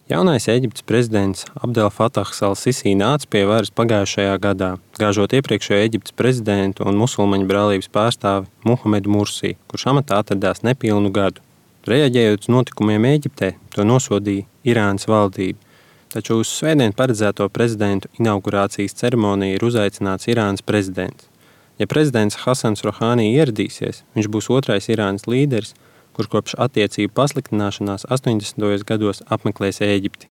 Jaunais Ēģiptes prezidents Abdel Fatahs al-Sisi nāca pie varas pagājušajā gadā, gāžot iepriekšējo Ēģiptes prezidentu un musulmaņu brālības pārstāvi Muhamedu Mursi, kurš amatā atradās nepilnu gadu. Reaģējot uz notikumiem Ēģiptē, to nosodīja Irānas valdība, taču uz svētdien paredzēto prezidentu inaugurācijas ceremoniju ir uzaicināts Irānas prezidents. Ja prezidents Hasans Rohani ieradīsies, viņš būs otrais Irānas līderis, kurš kopš attiecību pasliktināšanās 80. gados apmeklēs Ēģipti.